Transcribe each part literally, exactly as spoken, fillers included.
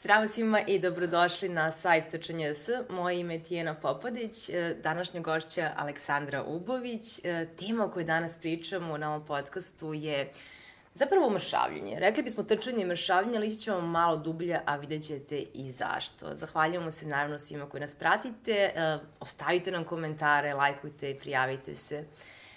Zdravo svima i dobrodošli na sajt T Č N S. Moje ime je Tijena Popadić, današnja gošća Aleksandra Ubović. Tema o kojoj danas pričamo na ovom podcastu je zapravo mršavljenje. Rekli bismo trčanje i mršavljenje, ali ići ćemo malo dublje, a vidjet ćete i zašto. Zahvaljujemo se naravno svima koji nas pratite. Ostavite nam komentare, lajkujte i prijavite se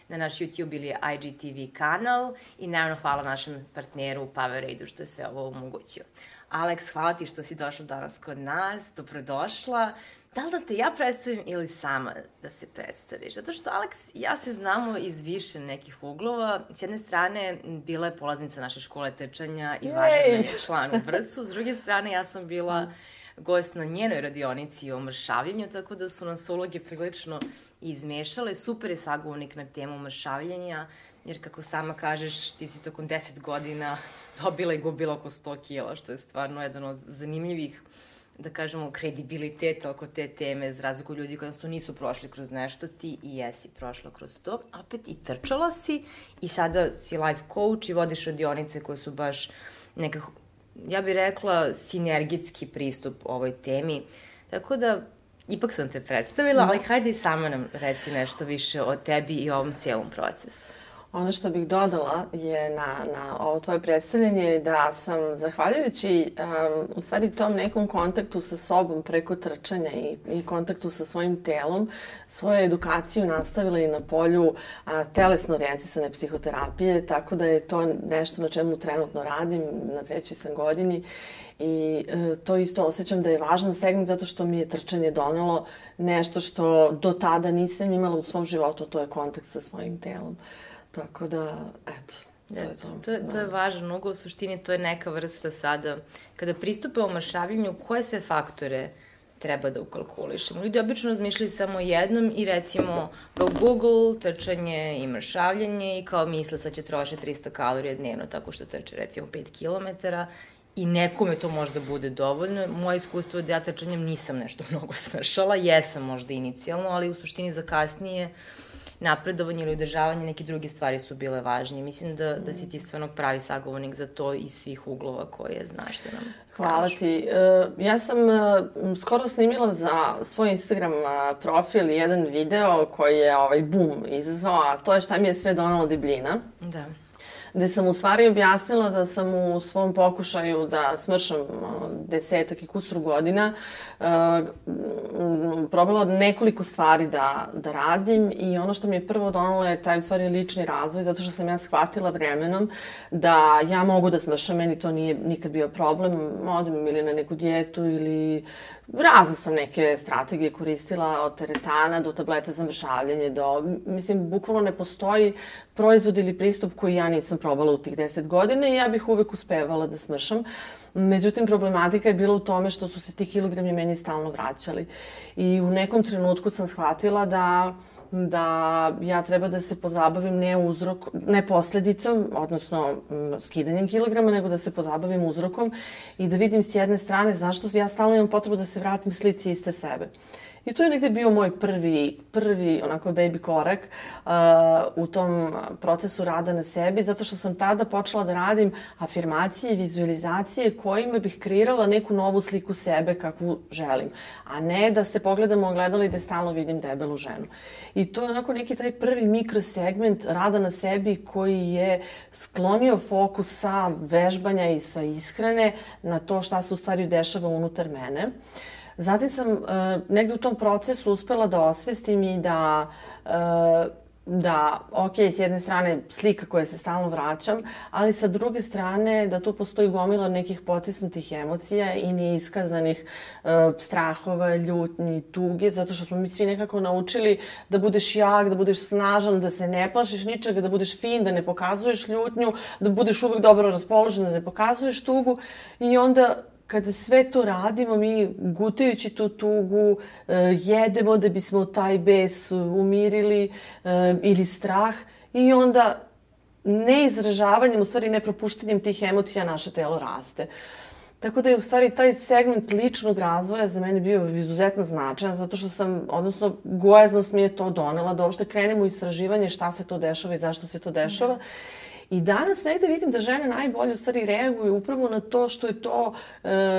na naš YouTube ili I G T V kanal i naravno hvala našem partneru Powerade što je sve ovo omogućio. Aleks, hvala ti što si došla danas kod nas, dobrodošla. Da li da te ja predstavim ili sama da se predstaviš? Zato što Aleks i ja se znamo iz više nekih uglova. S jedne strane, bila je polaznica naše škole trčanja i važan je član u Vrcu. S druge strane, ja sam bila gost na njenoj radionici o mršavljenju, tako da su nas uloge prilično izmešale. Super je sagovornik na temu mršavljenja, jer kako sama kažeš, ti si tokom deset godina dobila i gubila oko sto kila, što je stvarno jedan od zanimljivih, da kažemo, kredibiliteta oko te teme, za razliku ljudi koji su nisu prošli kroz nešto, ti i jesi prošla kroz to. Opet i trčala si i sada si life coach i vodiš radionice koje su baš nekako, ja bih rekla, sinergijski pristup ovoj temi. Tako da, ipak sam te predstavila, ali hajde i sama nam reci nešto više o tebi i o ovom cijelom procesu. Ono što bih dodala je na, na ovo tvoje predstavljanje da sam, zahvaljujući um, u stvari tom nekom kontaktu sa sobom preko trčanja i, i kontaktu sa svojim telom, svoju edukaciju nastavila i na polju a, telesno orijentisane psihoterapije, tako da je to nešto na čemu trenutno radim, na trećoj sam godini. I e, to isto osjećam da je važan segment zato što mi je trčanje donelo nešto što do tada nisam imala u svom životu, to je kontakt sa svojim telom. Tako da, eto, to je to. To je, to je važan ugao, u suštini to je neka vrsta sada. Kada pristupamo mršavljenju, koje sve faktore treba da ukalkulišemo? Ljudi obično razmišljaju samo jednom i recimo kao Google, trčanje i mršavljenje i kao misle sad će trošiti trista kalorija dnevno tako što trče recimo pet kilometara i nekome to možda bude dovoljno. Moje iskustvo je da ja trčanjem nisam nešto mnogo smršala, jesam možda inicijalno, ali u suštini za kasnije napredovanje ili udržavanje, neke druge stvari su bile važnije. Mislim da, da si ti stvarno pravi sagovornik za to iz svih uglova koje znaš da nam Hvala kažu. ti. Ja sam skoro snimila za svoj Instagram profil jedan video koji je ovaj boom izazvao, a to je šta mi je sve donalo debljina. Da. Gde sam u stvari objasnila da sam u svom pokušaju da smršam desetak i kusur godina uh, probala nekoliko stvari da, da radim i ono što mi je prvo donalo je taj u stvari lični razvoj, zato što sam ja shvatila vremenom da ja mogu da smršam, meni to nije nikad bio problem, odem ili na neku dijetu ili razne sam neke strategije koristila, od teretana do tableta za mršavljenje, do, mislim, bukvalno ne postoji proizvod ili pristup koji ja nisam probala u tih deset godina i ja bih uvek uspevala da smršam. Međutim, problematika je bila u tome što su se ti kilogrami meni stalno vraćali. I u nekom trenutku sam shvatila da da ja treba da se pozabavim ne uzrok, ne posledicom, odnosno skidanjem kilograma, nego da se pozabavim uzrokom i da vidim s jedne strane zašto ja stalno imam potrebu da se vratim slici iste sebe. I to je negde bio moj prvi, prvi onako baby korak uh, u tom procesu rada na sebi, zato što sam tada počela da radim afirmacije i vizualizacije kojima bih kreirala neku novu sliku sebe kakvu želim, a ne da se pogledam u ogledalo i da stalno vidim debelu ženu. I to je onako neki taj prvi mikrosegment rada na sebi koji je sklonio fokus sa vežbanja i sa ishrane na to šta se u stvari dešava unutar mene. Zatim sam uh, negde u tom procesu uspela da osvestim i da, uh, da, ok, s jedne strane slika koja se stalno vraćam, ali sa druge strane da tu postoji gomila nekih potisnutih emocija i neiskazanih uh, strahova, ljutnji, tuge, zato što smo mi svi nekako naučili da budeš jak, da budeš snažan, da se ne plašiš ničega, da budeš fin, da ne pokazuješ ljutnju, da budeš uvek dobro raspoložen, da ne pokazuješ tugu i onda kada sve to radimo, mi gutajući tu tugu, jedemo da bismo taj bes umirili ili strah i onda neizražavanjem, u stvari nepropuštanjem tih emocija naše telo raste. Tako da je u stvari taj segment ličnog razvoja za mene bio izuzetno značajan, zato što sam, odnosno gojaznost mi je to donela, da uopšte krenem u istraživanje šta se to dešava i zašto se to dešava. I danas negde vidim da žene najbolje u stvari reaguju upravo na to što je to,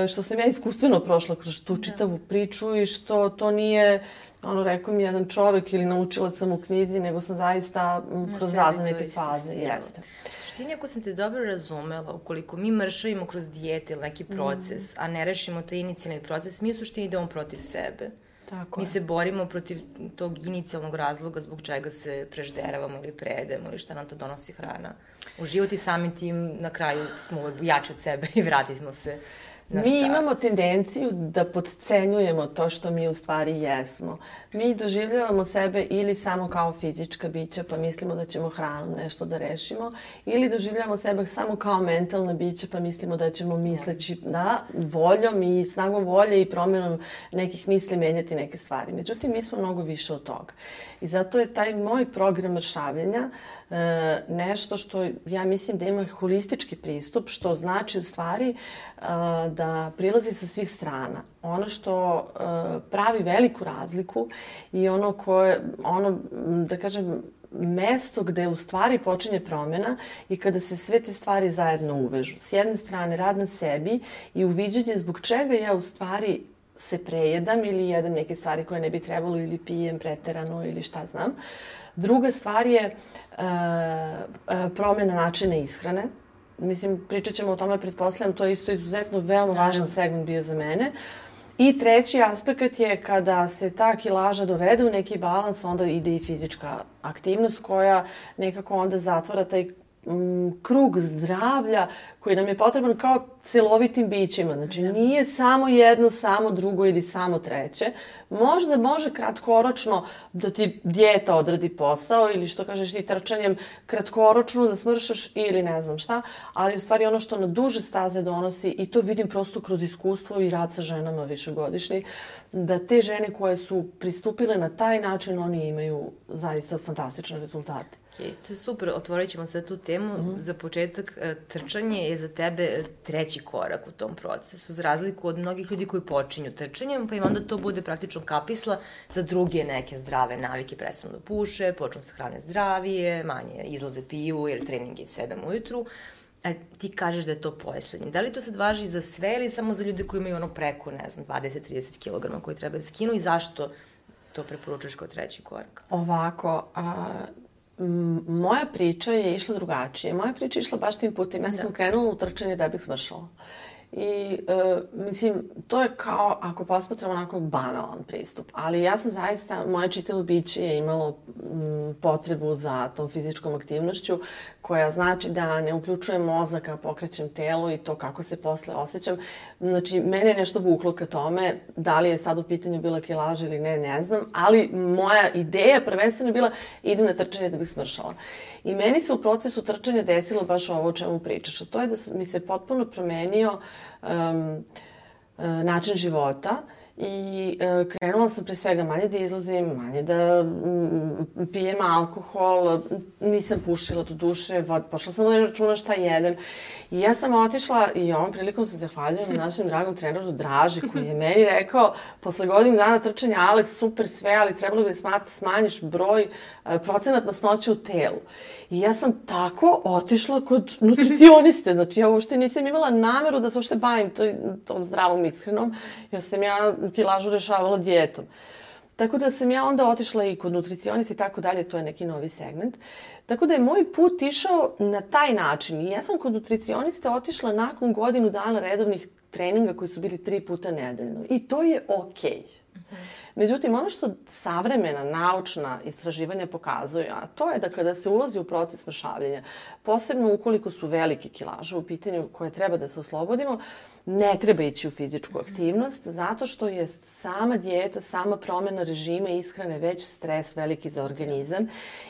što sam ja iskustveno prošla kroz tu čitavu priču i što to nije, ono, rekao mi jedan čovek ili naučila sam u knjizi, nego sam zaista kroz razne neke faze. Jeste. Suštini, ako sam te dobro razumela, ukoliko mi mršavimo kroz dijete ili neki proces, a ne rešimo taj inicijalni proces, mi u suštini idemo protiv sebe. Tako mi je. se borimo protiv tog inicijalnog razloga zbog čega se prežderavamo ili prejedemo ili šta nam to donosi hrana u život i samim tim na kraju smo jači od sebe i vratimo se na Mi stvar. imamo tendenciju da podcenjujemo to što mi u stvari jesmo. Mi doživljavamo sebe ili samo kao fizička bića pa mislimo da ćemo hranom nešto da rešimo, ili doživljavamo sebe samo kao mentalna bića pa mislimo da ćemo misleći da voljom i snagom volje i promjenom nekih misli menjati neke stvari. Međutim, mi smo mnogo više od toga. I zato je taj moj program mršavljenja e, nešto što ja mislim da ima holistički pristup, što znači u stvari e, da prilazi sa svih strana. Ono što e, pravi veliku razliku i ono koje, ono, da kažem, mesto gde u stvari počinje promjena i kada se sve te stvari zajedno uvežu. S jedne strane rad na sebi i uviđanje zbog čega ja u stvari se prejedam ili jedem neke stvari koje ne bi trebalo ili pijem preterano ili šta znam. Druga stvar je e, e, promjena načina ishrane. Mislim, pričat ćemo o tome, pretpostavljam, to je isto izuzetno veoma važan segment bio za mene. I treći aspekt je kada se ta kilaža dovede u neki balans, onda ide i fizička aktivnost koja nekako onda zatvara taj m, krug zdravlja koji nam je potreban kao celovitim bićima. Znači, nije samo jedno, samo drugo ili samo treće. Možda može kratkoročno da ti dijeta odradi posao ili što kažeš ti trčanjem kratkoročno da smršaš ili ne znam šta, ali u stvari ono što na duže staze donosi, i to vidim prosto kroz iskustvo i rad sa ženama višegodišnji, da te žene koje su pristupile na taj način, oni imaju zaista fantastične rezultate. Okay, to je super, otvorit ćemo sad tu temu. Mm-hmm. Za početak, trčanje je za tebe treći korak u tom procesu, za razliku od mnogih ljudi koji počinju trčanjem, pa im onda to bude praktično kapisla za druge neke zdrave navike, prestanu da puše, počnu se hrane zdravije, manje izlaze piju jer trening je sedam ujutru. A ti kažeš da je to poslednji. Da li to sad važi za sve ili samo za ljude koji imaju ono preko, ne znam, dvadeset do trideset kilograma koji treba da skinu i zašto to preporučuješ kao treći korak? Ovako, a... moja priča je išla drugačije. Moja priča je išla baš tim putem. Ja sam krenula u trčanje da bih smršala. I, e, mislim, to je kao, ako posmatramo onako banalan pristup, ali ja sam zaista, moje čitavo biće je imalo m, potrebu za tom fizičkom aktivnošću, koja znači da ne uključujem mozak, a pokrećem telo i to kako se posle osjećam. Znači, mene je nešto vuklo ka tome, da li je sad u pitanju bila kilaža ili ne, ne znam, ali moja ideja prvenstveno je bila idem na trčanje da bih smršala. I meni se u procesu trčanja desilo baš ovo o čemu pričaš, a to je da mi se potpuno promenio um, način života. I e, krenula sam pre svega manje da izlazim, manje da m, pijem alkohol, nisam pušila do duše, vod, pošla sam da računa šta jedem. I ja sam otišla i ovom prilikom se zahvaljujem našem dragom treneru Draži koji je meni rekao posle godinu dana trčanja, Aleks, super sve, ali trebalo bi da smanjiš broj, e, procenat masnoće u telu. I ja sam tako otišla kod nutricioniste, znači ja uopšte nisam imala nameru da se uopšte bavim toj, tom zdravom ishranom, jer sam ja kilažu rešavala dijetom. Tako da sam ja onda otišla i kod nutricionista i tako dalje, to je neki novi segment. Tako da je moj put išao na taj način. I ja sam kod nutricionista otišla nakon godinu dana redovnih treninga koji su bili tri puta nedeljno. I to je okej. Okay. Međutim, ono što savremena naučna istraživanja pokazuju, a to je da kada se ulazi u proces mršavljenja, posebno ukoliko su velike kilaže u pitanju koje treba da se oslobodimo, ne treba ići u fizičku aktivnost, zato što je sama dijeta, sama promjena režima i ishrane već stres veliki za organizam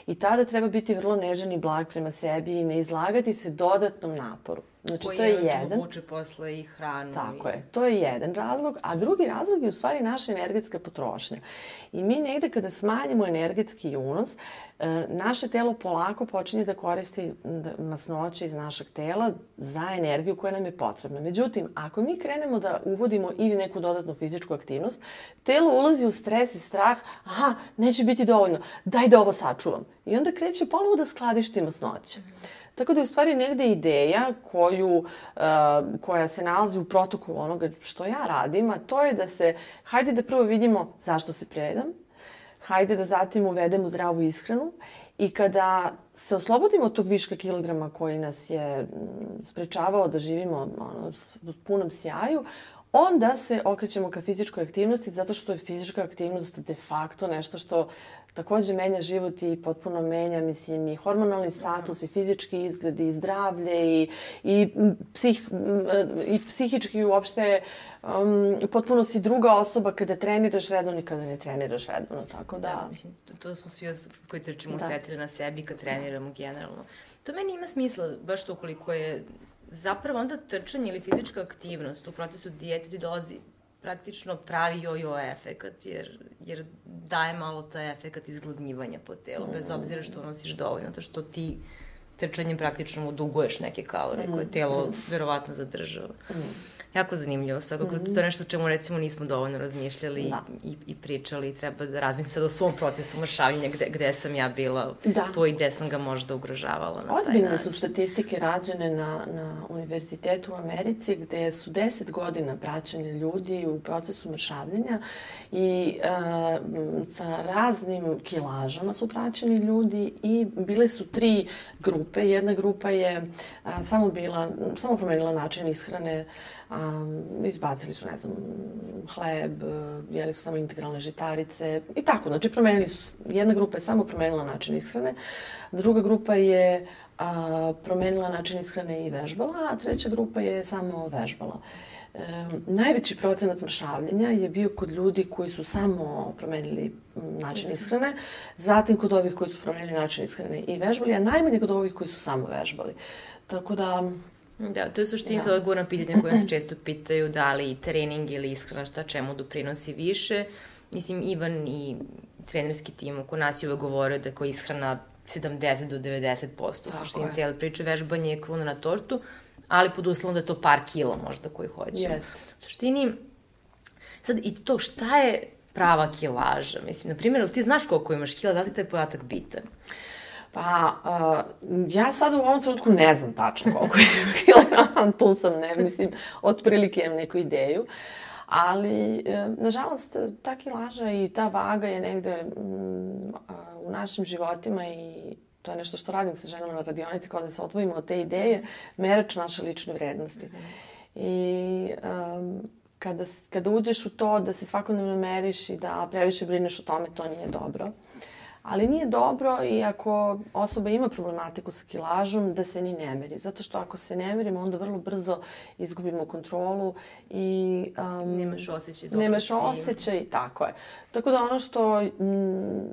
i tada treba biti vrlo nežan i blag prema sebi i ne izlagati se dodatnom naporu. Znači, koji to je je jedan. Vuče posle i hranu. Tako i... je, to je jedan razlog, a drugi razlog je u stvari naša energetska potrošnja. I mi negde kada smanjimo energetski unos, naše telo polako počinje da koristi masnoće iz našeg tela za energiju koja nam je potrebna. Međutim, ako mi krenemo da uvodimo i neku dodatnu fizičku aktivnost, telo ulazi u stres i strah, aha, neće biti dovoljno, daj da ovo sačuvam. I onda kreće ponovo da skladišti masnoće. Tako da je u stvari negde ideja koju, uh, koja se nalazi u protokolu onoga što ja radim, a to je da se, hajde da prvo vidimo zašto se prejedam, hajde da zatim uvedemo zdravu ishranu i kada se oslobodimo od tog viška kilograma koji nas je sprečavao da živimo ono, u punom sjaju, onda se okrećemo ka fizičkoj aktivnosti zato što je fizička aktivnost de facto nešto što takođe menja život i potpuno menja, mislim, i hormonalni status, i fizički izgled, i zdravlje, i, i, psih, i psihički uopšte um, potpuno si druga osoba kada treniraš redovno i kada ne treniraš redovno, tako da... Da, mislim, to, to smo svi koji trčimo osetili na sebi kad treniramo generalno. To meni ima smisla, baš to koliko je zapravo onda trčanje ili fizička aktivnost u procesu dijete ti dolazi praktično pravi jojo efekat, jer, jer daje malo taj efekat izgladnjivanja po telu, bez obzira što nosiš dovoljno, to što ti trčanjem praktično mu duguješ neke kalorije koje telo verovatno zadržava. Jako zanimljivo, svakako mm. to je nešto o čemu recimo nismo dovoljno razmišljali da. i, i pričali i treba da razmisliti sad o svom procesu mršavljenja gde, gde sam ja bila da. tu i gde sam ga možda ugrožavala na taj način. Ozbiljne su statistike rađene na, na univerzitetu u Americi gde su deset godina praćeni ljudi u procesu mršavljenja i uh, sa raznim kilažama su praćeni ljudi i bile su tri grupe. Jedna grupa je uh, samo bila, samo promenila način ishrane. Um, izbacili su, ne znam, hleb, jeli su samo integralne žitarice i tako. Znači, promenili su, jedna grupa je samo promenila način ishrane, druga grupa je a, promenila način ishrane i vežbala, a treća grupa je samo vežbala. E, najveći procenat mršavljenja je bio kod ljudi koji su samo promenili način ishrane, zatim kod ovih koji su promenili način ishrane i vežbali, a najmanje kod ovih koji su samo vežbali. Tako da... Da, to je suština odgovor na pitanja koje nas često pitaju da li trening ili ishrana šta čemu doprinosi više. Mislim, Ivan i trenerski tim oko nas je uvek govorio da je koja ishrana sedamdeset do devedeset posto. U suštini cijele priče vežbanje je kruna na tortu, ali pod uslovom da je to par kila možda koji hoćemo. Yes. U suštini, sad i to šta je prava kilaža? Mislim, na primjer, ti znaš koliko imaš kila, da li taj podatak bitan? Pa, uh, ja sad u ovom trenutku ne znam tačno koliko je kilograma, tu sam, ne, mislim, otprilike imam neku ideju, ali, uh, nažalost, ta kilaža i ta vaga je negde um, u našim životima i to je nešto što radim sa ženama na radionici, kao da se odvojimo od te ideje, merač naše lične vrednosti. Mm-hmm. I um, kada, kada uđeš u to da se svakodnevno meriš i da previše brineš o tome, to nije dobro. Ali nije dobro i ako osoba ima problematiku sa kilažom, da se ni ne meri. Zato što ako se ne merimo, onda vrlo brzo izgubimo kontrolu i... Um, nemaš osjećaj dobro nemaš osjećaj, tako je. Tako da ono što m,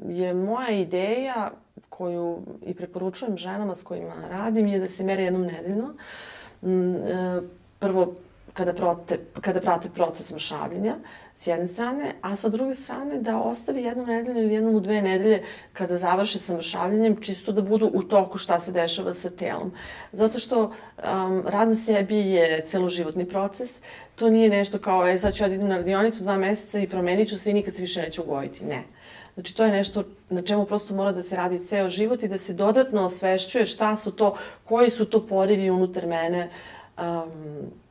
je moja ideja, koju i preporučujem ženama s kojima radim, je da se mere jednom nedeljno. M, e, prvo, kada prate, kada prate proces mršavljenja, s jedne strane, a sa druge strane da ostavi jednom nedelju ili jednom u dve nedelje kada završe sa mršavljenjem, čisto da budu u toku šta se dešava sa telom. Zato što um, rad na sebi je celoživotni proces, to nije nešto kao, e, sad ću ja da idem na radionicu dva meseca i promenit ću se i nikad se više neću ugojiti. Ne. Znači, to je nešto na čemu prosto mora da se radi ceo život i da se dodatno osvešćuje šta su to, koji su to porivi unutar mene, um,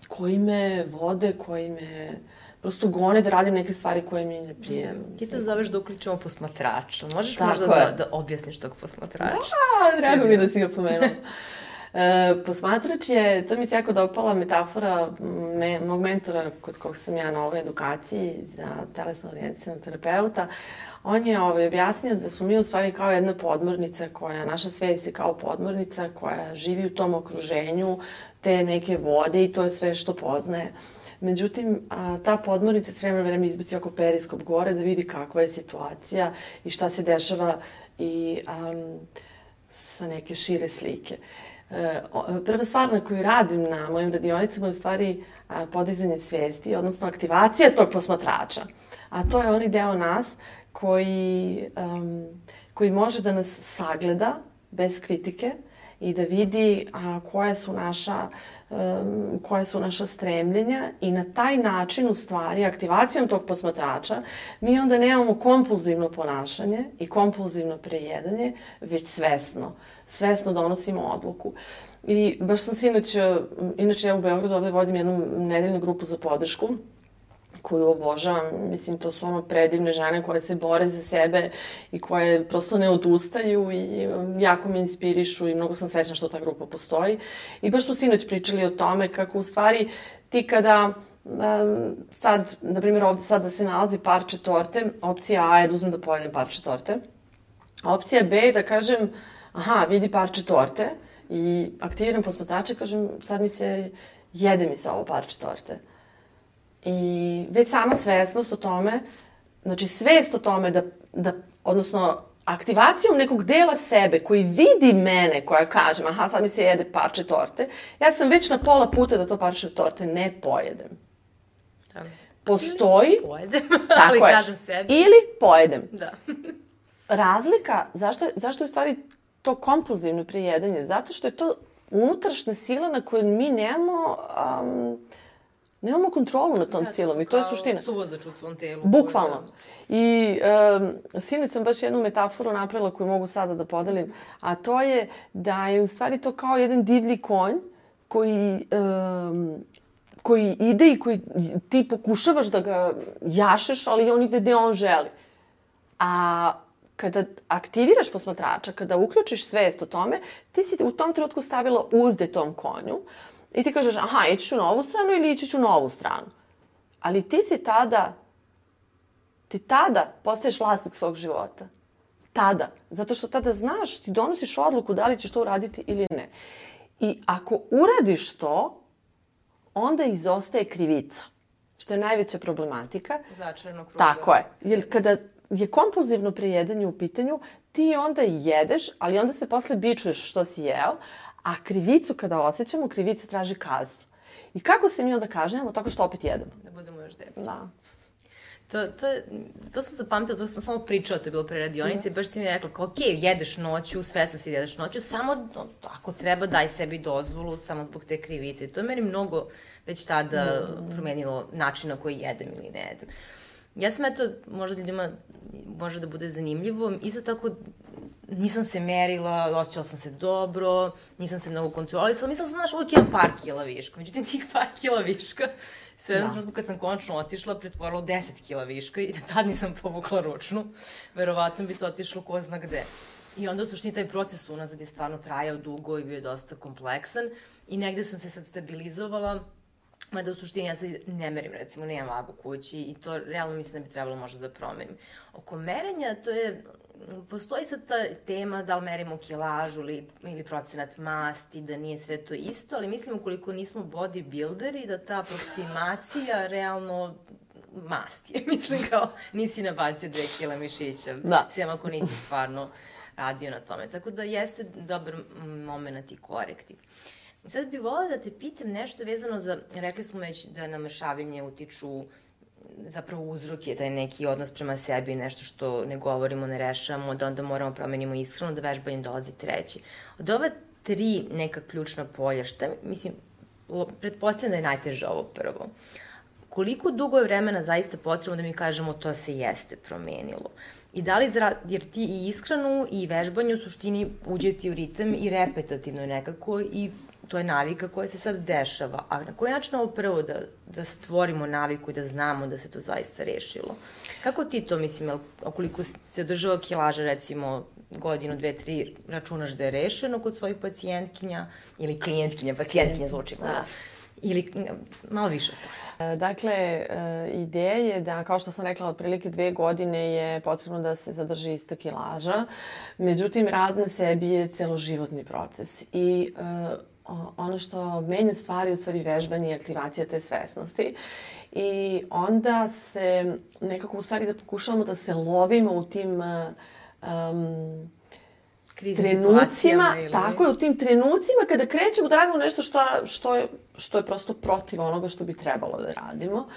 koji me vode, koji me prosto gone da radim neke stvari koje mi ne prije. Ti to zoveš da uključimo posmatrača. Možeš tako možda da, da objasniš tog posmatrača? Da, drago mi da si ga pomenula. E, posmatrač je, to mi se jako dopala metafora me, mog mentora kod kog sam ja na ovoj edukaciji za telesno orijentisanog terapeuta. On je ovaj, objasnio da smo mi u stvari kao jedna podmornica koja, naša svest je kao podmornica koja živi u tom okruženju te neke vode i to je sve što poznaje. Međutim, a, ta podmornica s vremena vreme izbaci oko periskop gore da vidi kakva je situacija i šta se dešava i um, sa neke šire slike. E, prva stvar na koju radim na mojim radionicama je u stvari a, podizanje svesti, odnosno aktivacija tog posmatrača. A to je onaj deo nas koji, um, koji može da nas sagleda bez kritike i da vidi a, koje su naša um, koje su naša stremljenja i na taj način, u stvari, aktivacijom tog posmatrača, mi onda nemamo kompulzivno ponašanje i kompulzivno prejedanje, već svesno. Svesno donosimo odluku. I baš sam sinoć, inače ja u Beogradu ovde vodim jednu nedeljnu grupu za podršku, koju obožavam. Mislim, to su ono predivne žene koje se bore za sebe i koje prosto ne odustaju i jako me inspirišu i mnogo sam srećna što ta grupa postoji. I baš smo sinoć pričali o tome kako u stvari ti kada um, sad, na primjer ovde sad da se nalazi parče torte, opcija A je da uzmem da pojedem parče torte. Opcija B je da kažem, aha, vidi parče torte i aktiviram posmatrače i kažem, sad mi se, jede mi se ovo parče torte. I već sama svesnost o tome, znači svest o tome da, da, odnosno aktivacijom nekog dela sebe koji vidi mene, koja kažem, aha, sad mi se jede parče torte, ja sam već na pola puta da to parče torte ne pojedem. Da. Postoji... Ili pojedem, ali tako kažem sebi. Ili pojedem. Da. Razlika, zašto, zašto je u stvari to kompulzivno prejedanje? Zato što je to unutrašnja sila na kojoj mi nemamo... Um, Nemamo kontrolu nad tom da, silom i to je suština. Kao suvozač u svom telu. Bukvalno. I um, sinoć sam baš jednu metaforu napravila koju mogu sada da podelim, a to je da je u stvari to kao jedan divlji konj koji, um, koji ide i koji ti pokušavaš da ga jašeš, ali on ide gde on želi. A kada aktiviraš posmatrača, kada uključiš svest o tome, ti si u tom trenutku stavila uzde tom konju. I ti kažeš, aha, ići ću na ovu stranu ili ići ću na ovu stranu. Ali ti si tada, ti tada postaješ vlasnik svog života. Tada. Zato što tada znaš, ti donosiš odluku da li ćeš to uraditi ili ne. I ako uradiš to, onda izostaje krivica. Što je najveća problematika. Začarano kruga. Tako je. Jer kada je kompulzivno prejedanje u pitanju, ti onda jedeš, ali onda se posle bičuješ što si jeo, a krivicu kada osjećamo, krivica traži kaznu. I kako se mi onda kažnjamo? Tako što opet jedemo. Da budemo još debeli. Da. To, to, to sam zapamtila, to sam samo pričala, to je bilo pre radionice, mm. baš si mi rekla, kao, ok, jedeš noću, svesna si da jedeš noću, samo no, ako treba daj sebi dozvolu, samo zbog te krivice. To je meni mnogo već tada mm. promenilo način na koji jedem ili ne jedem. Ja sam, eto, možda ljudima može da bude zanimljivo, isto tako nisam se merila, osjećala sam se dobro, nisam se mnogo kontrolisala, mislila sam, znaš, uvijek imam par kila viška. Međutim, tih par kila viška, sve jednom trenutku kad sam konačno otišla, pretvorila u deset kila viška i tad nisam povukla ručnu. Verovatno bi to otišlo ko zna gde. I onda u suštini taj proces unazad je stvarno trajao dugo i bio je dosta kompleksan i negde sam se sad stabilizovala. Mada u suštini ja se ne merim, recimo, nemam vagu kući i to realno mislim da bi trebalo možda da promenim. Oko merenja, to je, postoji sad ta tema da li merimo kilažu ili, ili procenat masti, da nije sve to isto, ali mislim ukoliko nismo bodybuilderi, da ta aproksimacija realno masti je. Mislim kao nisi nabacio dve kila mišića, da. Sem ako nisi stvarno radio na tome. Tako da jeste dobar moment i korektiv. Sad bih volila da te pitam nešto vezano za, rekli smo već da na mršavljenje utiču zapravo uzrok je taj neki odnos prema sebi, nešto što ne govorimo, ne rešavamo, da onda moramo promenimo ishranu, da vežbanjem dolazi treći. Od ova tri neka ključna polja, šta, mislim, pretpostavljam da je najteže ovo prvo. Koliko dugo je vremena zaista potrebno da mi kažemo to se jeste promenilo? I da li, jer ti i ishranu i vežbanje u suštini uđe ti u ritam i repetativno je nekako i to je navika koja se sad dešava. A na koji način ovo prvo da, da stvorimo naviku i da znamo da se to zaista rešilo? Kako ti to, mislim, okoliko se održava kilaža, recimo, godinu, dve, tri, računaš da je rešeno kod svojih pacijentkinja ili klijentkinja, pacijentkinja zvuči malo. Da. Ili malo više od toga. Dakle, ideja je da, kao što sam rekla, otprilike dve godine je potrebno da se zadrži ista kilaža. Međutim, rad na sebi je celoživotni proces. I ono što menja stvari, u stvari vežbanje i aktivacija te svesnosti. I onda se nekako u stvari da pokušavamo da se lovimo u tim um, trenucima, ili... tako je, u tim trenucima kada krećemo da radimo nešto što, što, je, što je prosto protiv onoga što bi trebalo da radimo.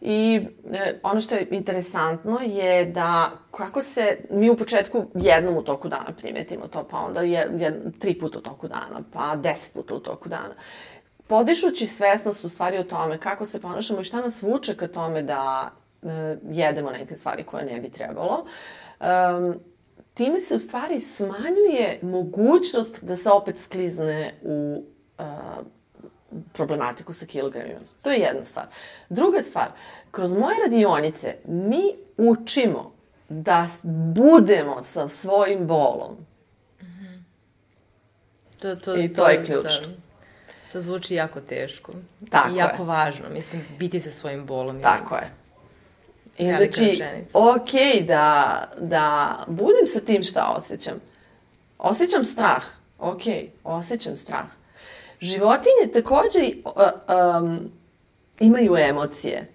I e, ono što je interesantno je da kako se mi u početku jednom u toku dana primetimo to, pa onda je, je, tri puta u toku dana, pa deset puta u toku dana. podižući svesnost u stvari o tome kako se ponašamo i šta nas vuče ka tome da uh, jedemo neke stvari koje ne bi trebalo, um, time se u stvari smanjuje mogućnost da se opet sklizne u uh, problematiku sa kilogramima. To je jedna stvar. Druga stvar, kroz moje radionice mi učimo da budemo sa svojim bolom. Mm-hmm. To, to, I to, to je ključno. Da, to zvuči jako teško. Tako I jako je. važno. Mislim, biti sa svojim bolom. Tako je. I znači, okej okay, da, da budem sa tim šta osjećam. Osjećam strah. Okej, okay, osjećam strah. Životinje takođe uh, um, imaju emocije,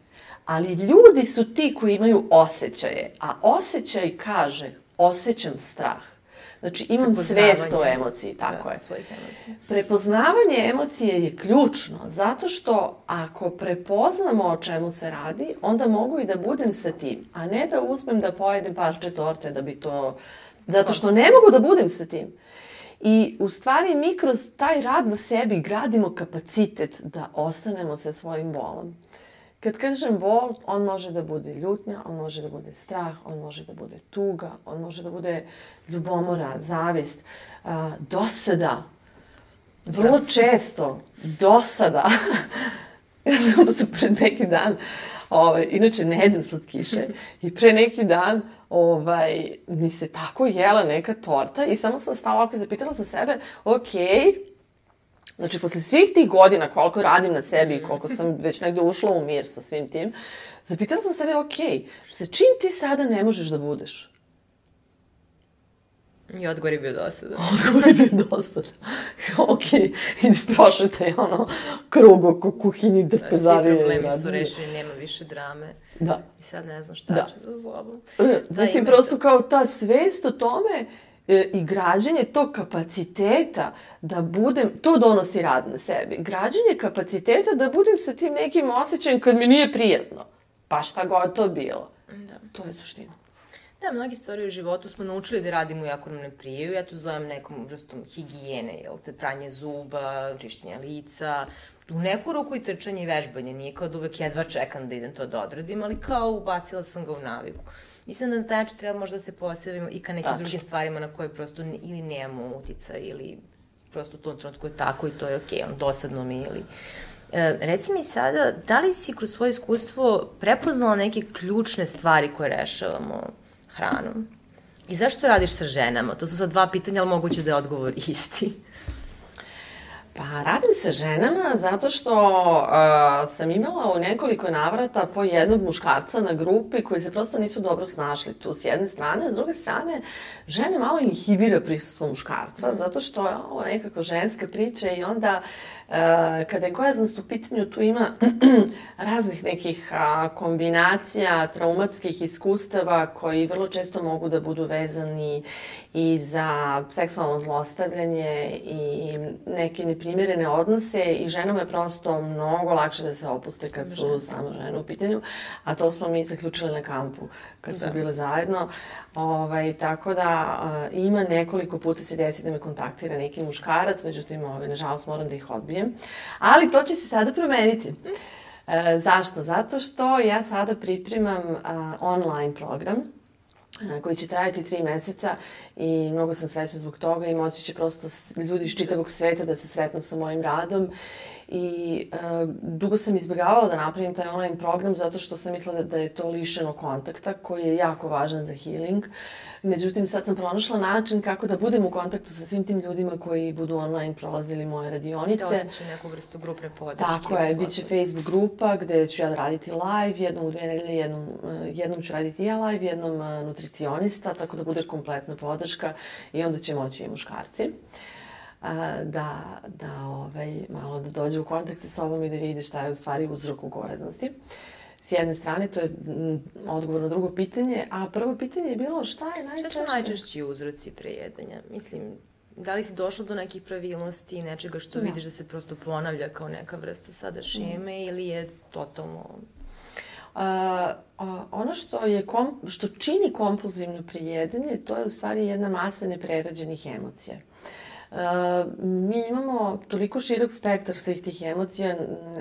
ali ljudi su ti koji imaju osjećaje, a osjećaj kaže osjećam strah. Znači imam svest o emociji, tako da, je. Svojih emocija. Prepoznavanje emocije je ključno, zato što ako prepoznamo o čemu se radi, onda mogu i da budem sa tim, a ne da uzmem da pojedem parče torte da bi to... Zato što ne mogu da budem sa tim. I u stvari mi kroz taj rad na sebi gradimo kapacitet da ostanemo sa svojim bolom. Kad kažem bol, on može da bude ljutnja, on može da bude strah, on može da bude tuga, on može da bude ljubomora, zavist, uh, dosada. Vrlo da. često dosada. Ja znam se pred neki dan, ovaj, inače ne jedem slatkiše, i pre neki dan ovaj, mi se tako jela neka torta i samo sam stala ovako i zapitala sam sebe, okej, okay, znači, posle svih tih godina koliko radim na sebi i koliko sam već negde ušla u mir sa svim tim, zapitala sam sebe, okej, okay, sa čim ti sada ne možeš da budeš? I odgovor je bio dosada. Odgovor je bio dosada. Okej, okay, idi prošetaj ono krug oko kuhinji drpezarije. Svi problemi su rešeni, nema više drame. Da. I sad ne znam šta da. ću za sobom. Da, mislim, prosto to. Kao ta svest o tome e, i građenje tog kapaciteta da budem, to donosi rad na sebi. Građenje kapaciteta da budem sa tim nekim osjećajem kad mi nije prijatno. Pa šta god to bilo. Da. To je suština. Da, mnogi stvari u životu smo naučili da radimo iako nam ne prijaju. Ja to zovem nekom vrstom higijene, jel te, pranje zuba, čišćenja lica, u neku ruku i trčanje i vežbanje. Nije kao da uvek jedva čekam da idem to da odradim, ali kao ubacila sam ga u naviku. Mislim da na taj način treba možda da se posebimo i ka nekim Tačno. drugim stvarima na koje prosto ili nemamo utica ili prosto u tom trenutku je tako i to je okej, okay, on dosadno mi ili... E, reci mi sada, da li si kroz svoje iskustvo prepoznala neke ključne stvari koje rešavamo hranom? I zašto radiš sa ženama? To su sad dva pitanja, ali moguće da je odgovor isti. Pa radim sa ženama zato što uh, sam imala u nekoliko navrata po jednog muškarca na grupi koji se prosto nisu dobro snašli tu s jedne strane. S druge strane, žene malo inhibira prisustvo muškarca zato što je ovo nekako ženska priča i onda uh, kada je gojaznost u pitanju tu ima raznih nekih uh, kombinacija, traumatskih iskustava koji vrlo često mogu da budu vezani i za seksualno zlostavljanje i neke neprimjerene odnose i ženama je prosto mnogo lakše da se opuste kad su samo žene u pitanju, a to smo mi zaključili na kampu kad smo da. bile zajedno. Ovaj, tako da uh, ima nekoliko puta se desi da me kontaktira neki muškarac, međutim, ovaj, nažalost moram da ih odbijem. Ali to će se sada promeniti. E, zašto? Zato što ja sada pripremam uh, online program koji će trajati tri meseca i mnogo sam srećna zbog toga i moći će prosto ljudi iz čitavog sveta da se sretnu sa mojim radom. I uh, dugo sam izbjegavala da napravim taj online program zato što sam mislila da, da je to lišeno kontakta koji je jako važan za healing. Međutim, sad sam pronašla način kako da budem u kontaktu sa svim tim ljudima koji budu online prolazili moje radionice. Da osjećaju neku vrstu grupne podrške. Tako je, bit će Facebook grupa gde ću ja raditi live, jednom u dve nedelje, jednom, jednom ću raditi ja live, jednom nutricionista, tako da bude kompletna podrška i onda će moći i muškarci. Da, da ovaj, malo da dođe u kontakt sa sobom i da vidi šta je u stvari uzrok u gojaznosti. S jedne strane, to je odgovor na drugo pitanje, a prvo pitanje je bilo šta je najčešće... Šta su najčešći uzroci prejedanja? Mislim, da li si došla do nekih pravilnosti i nečega što no. vidiš da se prosto ponavlja kao neka vrsta sada šeme mm. ili je totalno... Uh, uh, ono što, je kom, što čini kompulzivno prejedanje, to je u stvari jedna masa neprerađenih emocija. Uh, mi imamo toliko širok spektar svih tih emocija,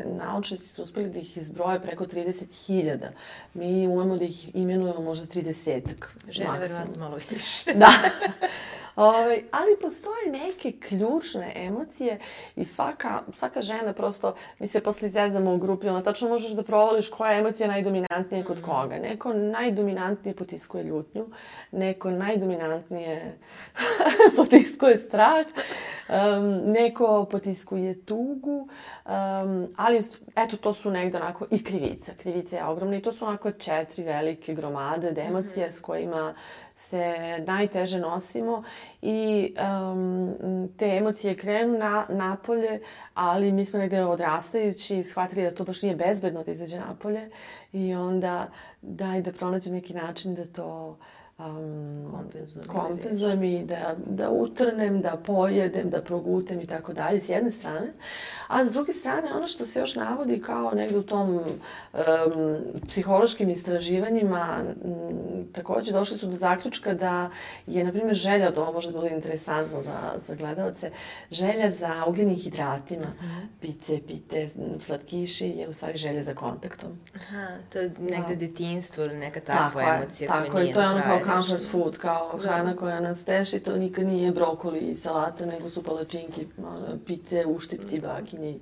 naučnici su uspeli da ih izbroje preko trideset hiljada. Mi umemo da ih imenujemo možda tridesetak. Žene verovatno malo više. Da. Ove, ali postoje neke ključne emocije i svaka, svaka žena prosto, mi se posle izezamo u grupi, ona tačno možeš da provališ koja je emocija najdominantnija kod koga. Neko najdominantnije potiskuje ljutnju, neko najdominantnije potiskuje strah, um, neko potiskuje tugu, um, ali eto to su negde onako i krivica. Krivica je ogromna i to su onako četiri velike gromade od emocija mm-hmm. s kojima se najteže nosimo i um, te emocije krenu na, napolje, ali mi smo negde odrastajući shvatili da to baš nije bezbedno da izađe napolje i onda daj da pronađem neki način da to um, kompenzujem, kompenzujem i da, da utrnem, da pojedem, da progutem i tako dalje s jedne strane. A s druge strane, ono što se još navodi kao negde u tom um, psihološkim istraživanjima, m, takođe došli su do zaključka da je, na primjer, želja, to može da bude interesantno za, za gledalce, želja za ugljenim hidratima, uh-huh. pice, pite, slatkiši, je u stvari želja za kontaktom. Aha, to je negde da. detinjstvo ili neka takva tako emocija koja koja nije je, to je ono kao comfort nešto. food, kao hrana koja nas teši, to nikad nije brokoli i salata, nego su palačinki, pice, uštipci, baginji,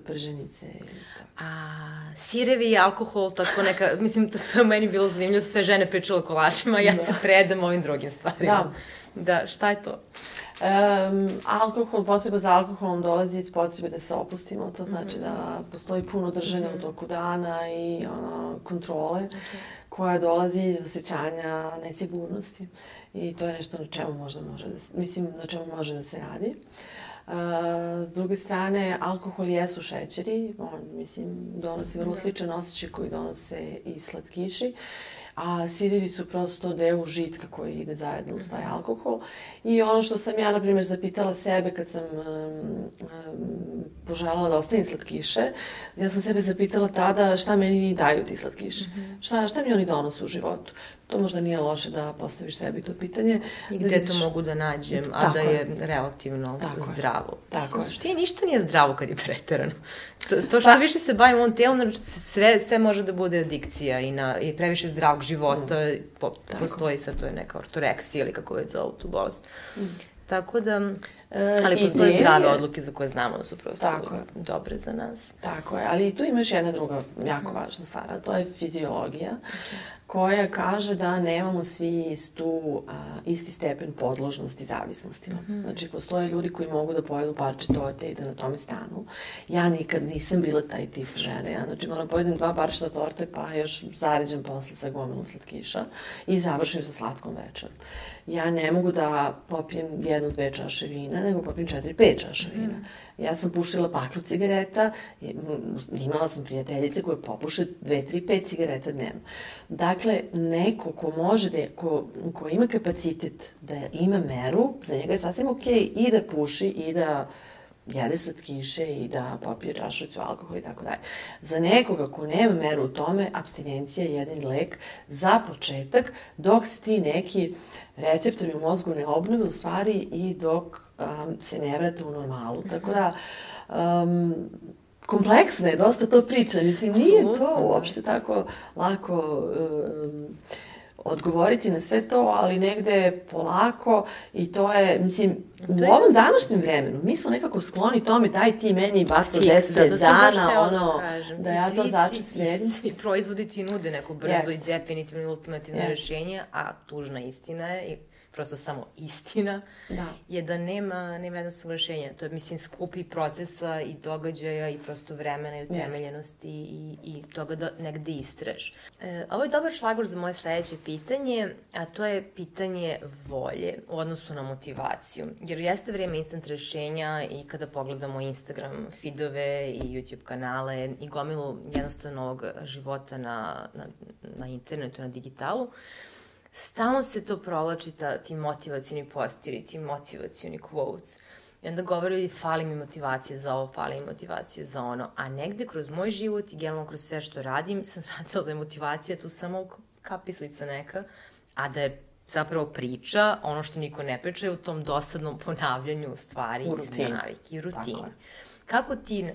prženice i tako. A sirevi i alkohol, tako neka, mislim, to, to je meni bilo zanimljivo, sve žene pričale o kolačima, ja da. se predam ovim drugim stvarima. Da. Da, šta je to? Um, alkohol, potreba za alkoholom dolazi iz potrebe da se opustimo, to znači mm-hmm. da postoji puno držanja mm-hmm. u toku dana i ono, kontrole okay. koja dolazi iz osjećanja nesigurnosti i to je nešto na čemu možda može da se, mislim, na čemu može da se radi. Uh, s druge strane, alkohol jesu šećeri, on, mislim, donosi vrlo sličan osjećaj koji donose i slatkiši, a sirevi su prosto deo užitka koji ide zajedno uz taj alkohol. I ono što sam ja, na primjer, zapitala sebe kad sam um, um, poželjala da ostavim slatkiše, ja sam sebe zapitala tada šta meni daju ti slatkiši, mm-hmm. šta, šta mi oni donose u životu. To možda nije loše da postaviš sebi to pitanje. I gde da vidiš... to mogu da nađem, a tako da je, je relativno tako zdravo. Tako je. U suštini ništa nije zdravo kad je preterano. To, to što pa... više se bavimo ovom telom, znači sve, sve može da bude adikcija i, na, i previše zdravog života. Mm. Po, postoji sad, to je neka ortoreksija ili kako već zovu tu bolest. Mm. Tako da... E, ali postoje zdrave odluke za koje znamo da su prosto dobre za nas. Tako je, ali tu imaš jedna druga jako važna stvar, a to je fiziologija, okay. koja kaže da nemamo svi istu, a, isti stepen podložnosti zavisnostima. Mm-hmm. Znači, postoje ljudi koji mogu da pojedu parče torte i da na tome stanu. Ja nikad nisam bila taj tip žene. Ja, znači, moram pojedem dva parčeta torte, pa još zaređem posle sa gomilom slatkiša i završim sa slatkom večerom. Ja ne mogu da popijem jednu, dve čaše vina, nego popijem četiri, pet čaša vina. Mm. Ja sam pušila paklu cigareta, imala sam prijateljice koje popuše dve, tri, pet cigareta dnevno. Dakle, neko ko može da, ko, ko ima kapacitet da ima meru, za njega je sasvim okej okay i da puši i da jede slatkiše i da popije čašicu alkohola i tako dalje. Za nekoga ko nema meru u tome, apstinencija je jedan lek za početak, dok se ti neki receptori u mozgu ne obnove u stvari i dok um, se ne vrate u normalu. Tako da, um, kompleksna je dosta to priča. Mislim, nije to uopšte tako lako um, odgovoriti na sve to, ali negde polako i to je, mislim, u je... ovom današnjem vremenu mi smo nekako skloni tome, daj ti meni bato deset dana, ono, da, da ja to začet sredim. Svi proizvodi ti nude neko brzo yes. i definitivno i ultimativno yes. rješenje, a tužna istina je, prosto samo istina, da. je da nema, nema jednostavno rješenja. To je, mislim, skupi procesa i događaja i prosto vremena i utemeljenosti yes. i, i toga da negde istreš. E, ovo je dobar šlagor za moje sledeće pitanje, a to je pitanje volje u odnosu na motivaciju. Jer jeste vrijeme instant rješenja i kada pogledamo Instagram feedove i YouTube kanale i gomilu jednostavnog života na, na, na internetu, na digitalu, stalno se to provlači, ta, ti motivacioni posteri, ti motivacioni quotes. I onda govori, fali mi motivacije za ovo, fali mi motivacije za ono. A negde kroz moj život i generalno kroz sve što radim, sam shvatila da je motivacija tu samo kapislica neka, a da je zapravo priča, ono što niko ne priča je u tom dosadnom ponavljanju stvari iz navike i rutini. Kako ti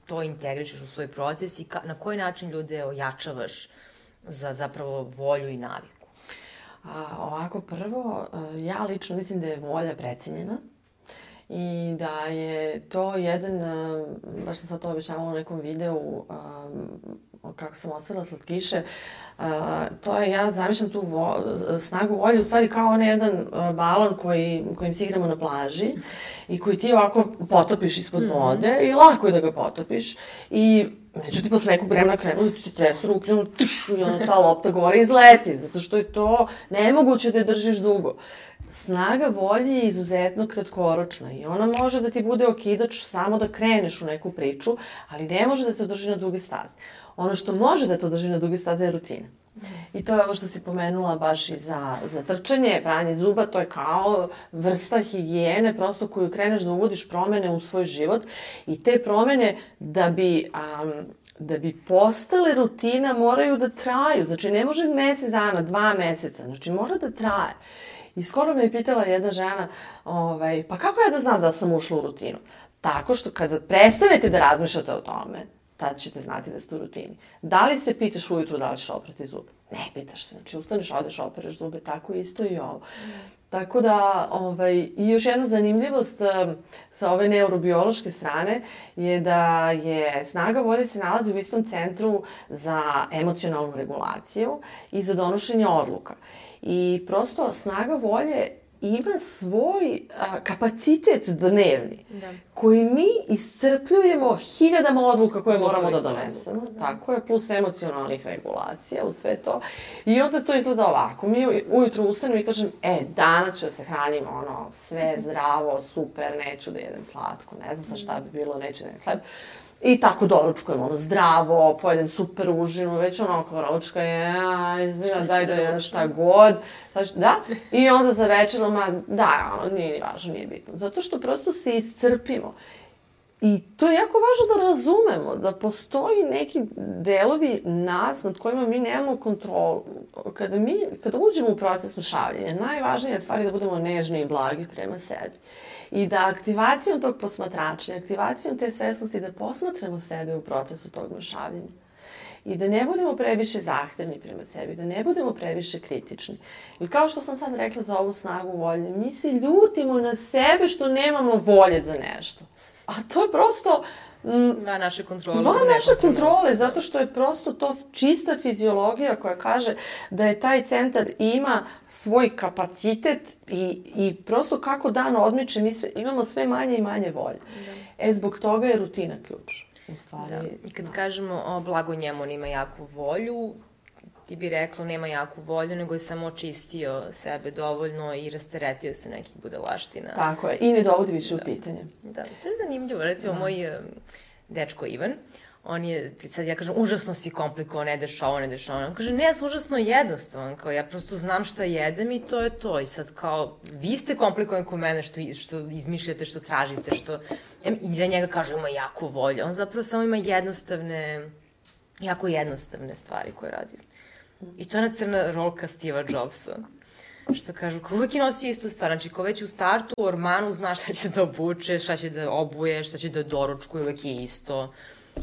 to integrišeš u svoj proces i na koji način ljude ojačavaš za zapravo volju i naviku? A, ovako, prvo, ja lično mislim da je volja precenjena i da je to jedan, baš sam sad to objašnjavala u nekom videu, kako sam ostavila slatkiše, to je, ja zamišljam tu vo, snagu volje u stvari kao onaj jedan balon koji, kojim se igramo na plaži i koji ti ovako potopiš ispod vode mm-hmm. i lako je da ga potopiš i međutim posle nekog vremena krenu da ti se tresu ruke i ono, tš, i ono ta lopta gore izleti, zato što je to nemoguće da je držiš dugo. Snaga volje je izuzetno kratkoročna i ona može da ti bude okidač samo da kreneš u neku priču, ali ne može da te drži na duge staze. Ono što može da te drži na duge staze je rutina. I to je ovo što si pomenula baš i za, za trčanje, pranje zuba, to je kao vrsta higijene, prosto koju kreneš da uvodiš promene u svoj život i te promene da bi... Um, da bi postale rutina moraju da traju. Znači, ne može mesec dana, dva meseca. Znači, mora da traje. I skoro me je pitala jedna žena, ovaj, pa kako ja da znam da sam ušla u rutinu? Tako što kada prestanete da razmišljate o tome, tad ćete znati da ste u rutini. Da li se pitaš ujutru da li ćeš oprati zube? Ne pitaš se. Znači, ustaneš, odeš, opereš zube, tako isto i ovo. Mm. Tako da, ovaj, i još jedna zanimljivost um, sa ove neurobiološke strane je da je snaga volje se nalazi u istom centru za emocionalnu regulaciju i za donošenje odluka. I prosto snaga volje ima svoj a, kapacitet dnevni, da. Koji mi iscrpljujemo hiljadama odluka koje moramo da donesemo. Da. Tako je, plus emocionalnih regulacija u sve to. I onda to izgleda ovako. Mi ujutru ustanemo i kažem, e, danas ću da se hranim, ono, sve zdravo, super, neću da jedem slatko, ne znam sa šta bi bilo, neću da jedem hleb. I tako doručkujem, ono, zdravo, pojedem super užinu, već onako ručka je, izvina, daj da jedem šta god. Znači, da, i onda za večer, ma, da, ono, nije ni važno, nije bitno. Zato što prosto se iscrpimo. I to je jako važno da razumemo, da postoji neki delovi nas nad kojima mi nemamo kontrolu. Kada mi, kada uđemo u proces mršavljenja, najvažnija stvar je da budemo nežni i blagi prema sebi. I da aktivacijom tog posmatrača, aktivacijom te svesnosti da posmatramo sebe u procesu tog mršavljenja. I da ne budemo previše zahtevni prema sebi, da ne budemo previše kritični. I kao što sam sad rekla za ovu snagu volje, mi se ljutimo na sebe što nemamo volje za nešto. A to je prosto... Mm, van naše kontrole. Van naše kontrole, zato što je prosto to čista fiziologija koja kaže da je taj centar ima svoj kapacitet i, i prosto kako dan odmiče mi sve, imamo sve manje i manje volje. Da. E, zbog toga je rutina ključ. U stvari, da. I kad da. kažemo o blago njemu, on ima jaku volju, ti bi rekla nema jaku volju, nego je samo očistio sebe dovoljno i rasteretio se nekih budalaština. Tako je, i ne dovodi više da. u pitanje. Da, to je zanimljivo. Recimo, da. moj um, dečko Ivan, on je, sad ja kažem, užasno si komplikovan, ne deš ovo, ne deš ovo. On kaže, ne, ja sam užasno jednostavan, kao ja prosto znam šta jedem i to je to. I sad kao, vi ste komplikovani ko mene što, što izmišljate, što tražite, što... I za njega kažu, ima jaku volju. On zapravo samo ima jednostavne, jako jednostavne stvari koje radi. I to je ona crna rolka Steva Jobsa. Što kažu, ko uvijek nosi istu stvar. Znači, ko već u startu u ormanu zna šta će da obuče, šta će da obuje, šta će da doručkuje, uvijek je isto.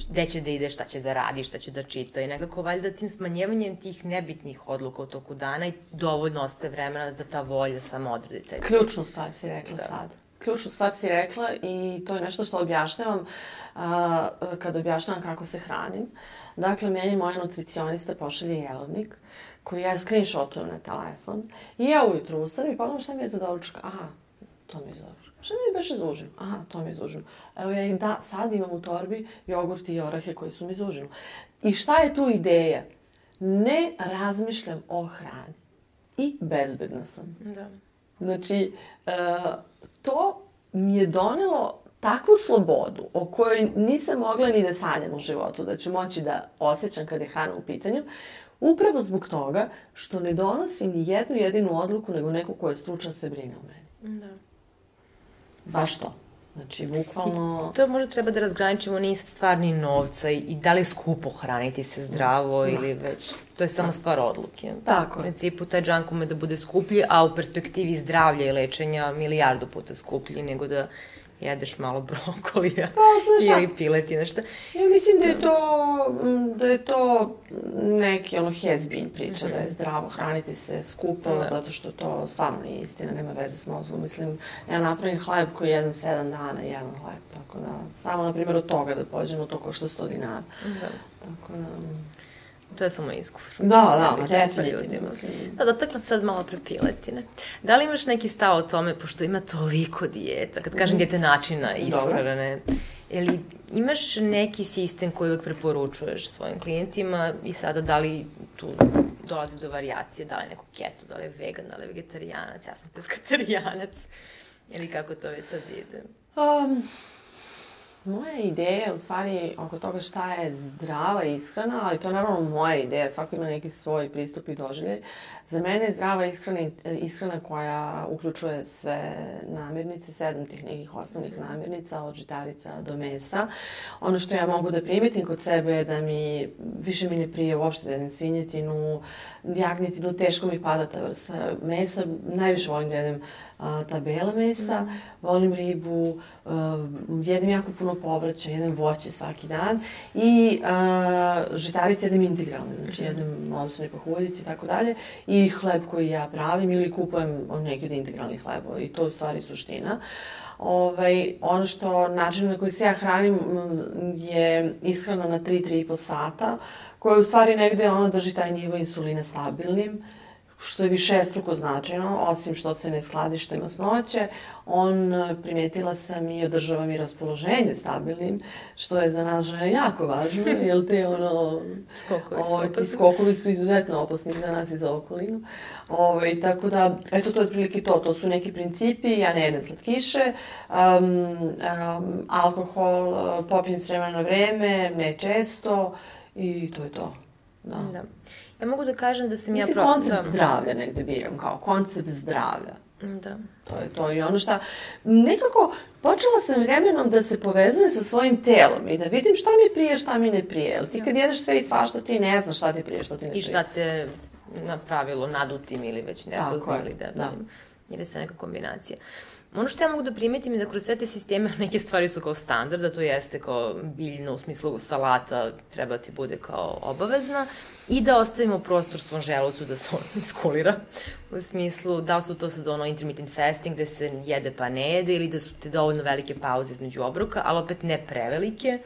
Gde će da ide, šta će da radi, šta će da čita. I nekako valjda tim smanjevanjem tih nebitnih odluka u toku dana i dovoljno ostaje vremena da ta volja samo odredi taj. Ključnu stvar si rekla da. sad. Ključnu stvar si rekla i to je nešto što objašnjavam uh, kada objašnjavam kako se hranim. Dakle, meni moja nutricionista pošalje jelovnik koji ja screenshotujem na telefon i ja ujutru ustanem i pogledam šta mi je za doručak. Aha, to mi je za doručak. Šta mi je beše za užinu? Aha, to mi je za užinu. Evo ja im da, sad imam u torbi jogurt i orahe koji su mi za užinu. I šta je tu ideja? Ne razmišljam o hrani. I bezbedna sam. Da. Znači, uh, to mi je donelo takvu slobodu o kojoj nisam mogla ni da sanjam u životu, da ću moći da osjećam kada je hrana u pitanju, upravo zbog toga što ne donosim ni jednu jedinu odluku, nego neko ko je stručan se brine o meni. Da. Baš to. Znači, bukvalno... I to možda treba da razgraničimo, nije sad stvar ni novca i da li je skupo hraniti se zdravo da. Ili već... To je samo stvar odluke. Tako. U principu, taj džank ume da bude skuplji, a u perspektivi zdravlja i lečenja milijardu puta skuplji nego da jedeš malo brokolija pa, ili piletine, šta? Ja mislim da je to, da je to neki ono has-been priča, mm-hmm. da je zdravo hraniti se skupo, da. Zato što to stvarno nije istina, nema veze s mozgom. Mislim, ja napravim hleb koji jedan sedam dana, jedan hleb, tako da, samo na primjer od toga da pođemo, to košta sto dinara. Da. Tako da... To je samo izgovor. Da, da, definitivno. Da, dotakla sad malo pre piletine. Da li imaš neki stav o tome, pošto ima toliko dijeta, kad kažem dijete načina ishrane, ili imaš neki sistem koji uvek preporučuješ svojim klijentima i sada da li tu dolazi do varijacije, da li je neko keto, da li je vegan, da li je vegetarijanac, ja sam peskaterijanac, ili kako to već sad ide? Um... Moja ideja, u stvari, oko toga šta je zdrava ishrana, ali to je naravno moja ideja, svako ima neki svoj pristup i doživljaj. Za mene je zdrava ishrana, ishrana koja uključuje sve namirnice, sedam tih nekih osnovnih namirnica, od žitarica do mesa. Ono što ja mogu da primetim kod sebe je da mi, više mi ne prije uopšte da jedem svinjetinu, jagnjetinu, teško mi pada ta vrsta mesa, najviše volim da jedem a, ta bela mesa, mm. volim ribu, a, jedem jako puno povrća, jedem voće svaki dan i a, žitarice jedem integralne, znači jedem osnovne pahuljice i tako dalje i hleb koji ja pravim ili kupujem neki od integralnih hlebova i to u stvari suština. Ovaj, ono što, način na koji se ja hranim je ishrana na tri do tri i po sata, koja u stvari negde ono drži taj nivo insulina stabilnim, što je višestruko značajno, osim što se ne skladišta i masnoće. On, primetila sam, i održava mi raspoloženje stabilnim, što je za nas žene jako važno, jer te ono... Skokovi su opasni. Ti skokovi su izuzetno opasni za nas i za okolinu. Ove, tako da, eto, to je otprilike to. To su neki principi, ja ne jedem slatkiše, um, um, alkohol popijem s vremena na vreme, ne često, i to je to. Da. Da. Ja mogu da kažem da sam ja... Mislim, pro... koncept zdravlja negde biram, kao koncept zdravlja. Da. To je to i ono šta... Nekako, počela sam vremenom da se povezujem sa svojim telom i da vidim šta mi prije, šta mi ne prije. Jel ti kad jedeš sve i svašta, ti ne znaš šta ti prije, šta ti ne prije. I šta te napravilo nadutim ili već nepoznam ili debelim. Da. Jer je sve neka kombinacija. Ono što ja mogu da primetim je da kroz sve te sisteme neke stvari su kao standard, da to jeste kao biljno, u smislu salata treba ti bude kao obavezna i da ostavimo prostor svom želucu da se on iskulira. U smislu da li su to sad ono intermittent fasting gde se jede pa ne jede ili da su te dovoljno velike pauze između obroka, ali opet ne prevelike,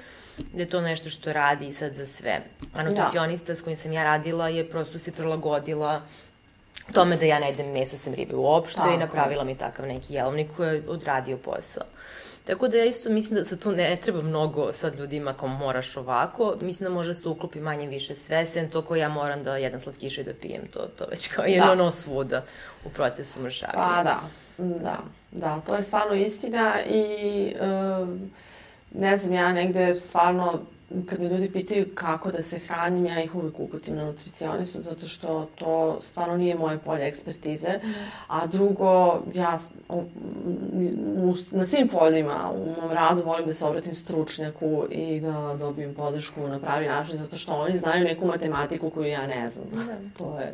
da je to nešto što radi sad za sve. A nutricionista da. S kojim sam ja radila je prosto se prilagodila tome da ja ne jedem meso sem ribe uopšte i napravila mi takav neki jelovnik koji je odradio posao. Tako da ja isto mislim da se tu ne treba mnogo sad ljudima kao moraš ovako, mislim da može se uklopi manje više sve, sem to ko ja moram da jedem slatkiše i da pijem, to, to već kao je ono svuda u procesu mršavanja. Pa da, da, da, to je stvarno istina i um, ne znam, ja negde stvarno kad me ljudi pitaju kako da se hranim, ja ih uvek uputim na nutricionistu, zato što to stvarno nije moje polje ekspertize. Mm. A drugo, ja u, u, na svim poljima u mom radu volim da se obratim stručnjaku i da dobijem podršku na pravi način, zato što oni znaju neku matematiku koju ja ne znam. Mm. To je...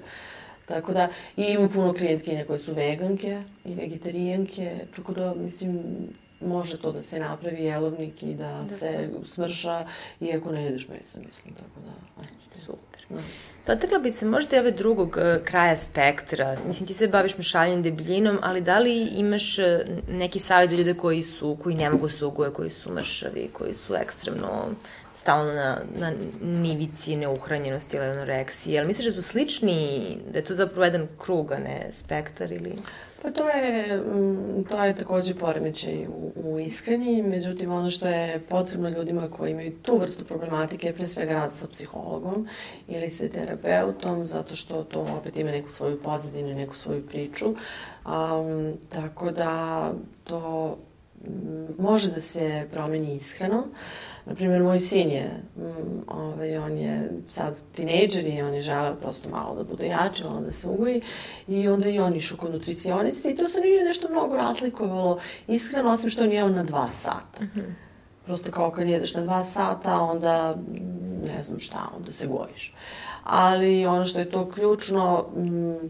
Tako da, i imam puno klijentkinja koje su veganke i vegetarijanke, tako da, mislim, može to da se napravi jelovnik i da, da se smrša, iako ne jedeš meso, mislim, tako da... Ajde. Super. Da. Dotakla bi se možda i ove drugog uh, kraja spektra. Mislim, ti se baviš mešavljanjem debljinom, ali da li imaš uh, neki savjet za ljude koji su, koji ne mogu se ugojiti, koji su mršavi, koji su ekstremno stalno na, na nivici neuhranjenosti ili anoreksije? Jel misliš da su slični, da je to zapravo jedan krug, a ne spektar ili... Pa to je, to je takođe poremećaj u, u ishrani, međutim ono što je potrebno ljudima koji imaju tu vrstu problematike je pre svega rad sa psihologom ili sa terapeutom, zato što to opet ima neku svoju pozadinu i neku svoju priču. Um, tako da to može da se promeni ishrano. Naprimjer, moj sin je, ovaj, on je sad tinejdžer i on je želeo prosto malo da bude jači, malo da se ugoji i onda i on išao kod nutricionista i to se nije nešto mnogo razlikovalo ishrano, osim što on jeo na dva sata. Mm-hmm. Prosto kao kad jedeš na dva sata, onda ne znam šta, onda se gojiš. Ali ono što je to ključno,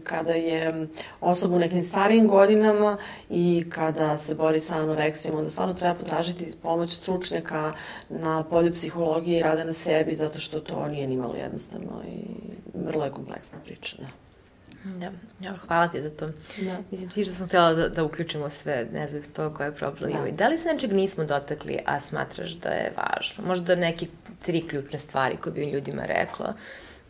kada je osoba u nekim starijim godinama i kada se bori sa anoreksijom, onda stvarno treba potražiti pomoć stručnjaka na polju psihologije i rada na sebi, zato što to nije nimalo jednostavno i vrlo je kompleksna priča, da. Da, ja, hvala ti za to. Da. Mislim, svi što sam htjela da, da uključimo sve, ne znam s to koje problem imaju. Da. da li se nečeg nismo dotakli, a smatraš da je važno? Možda neke tri ključne stvari koje bi ljudima rekla,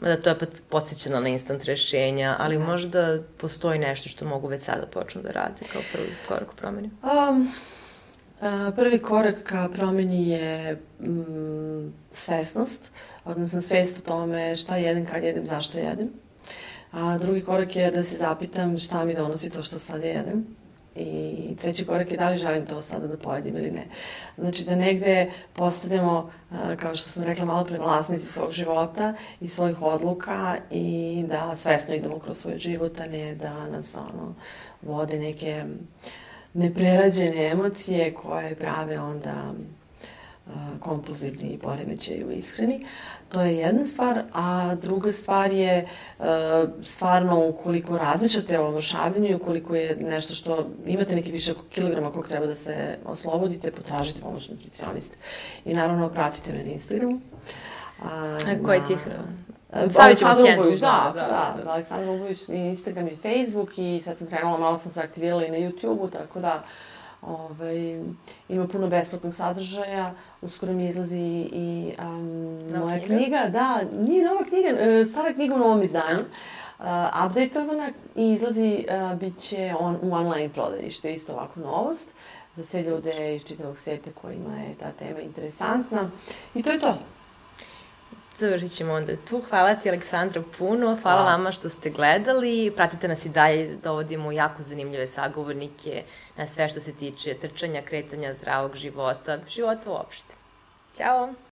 mada to je podsjećano na instant rešenja, ali da. možda postoji nešto što mogu već sada počnu da rade kao prvi korak u promeni? Um, a, prvi korak ka promeni je mm, svesnost, odnosno svest o tome šta jedem, kad jedem, zašto jedem. A drugi korak je da se zapitam šta mi donosi to što sad jedem. I treći korak je da li želim to sada da pojedim ili ne. Znači da negde postanemo, kao što sam rekla malo pre, vlasnici svog života i svojih odluka i da svesno idemo kroz svoj život, a ne da nas ono, vode neke neprerađene emocije koje prave onda kompulzivni poremećaj u ishrani. To je jedna stvar, a druga stvar je stvarno ukoliko razmišljate o omršavljanju i ukoliko je nešto što imate neki više kilograma kog treba da se oslobodite, potražite pomoć nutricioniste. I naravno pratite me na Instagramu. A, koje tih... Aleksandra Ubović, da, da, da, Aleksandra Ubović, Instagram i Facebook i sad sam krenula, malo sam se aktivirala i na YouTube-u, tako da Ovaj, ima puno besplatnog sadržaja, uskoro mi izlazi i um, moja knjiga? knjiga, da, nije nova knjiga, stara knjiga u novom izdanju, uh, updateovana i izlazi, uh, bit će on, u online prodaji, što je isto ovako novost za sve ljude iz čitavog svijeta kojima je ta tema interesantna i to je to. Završit ćemo onda tu. Hvala ti, Aleksandra, puno. Hvala vama što ste gledali. Pratite nas i dalje, dovodimo jako zanimljive sagovornike na sve što se tiče trčanja, kretanja, zdravog života, života uopšte. Ćao!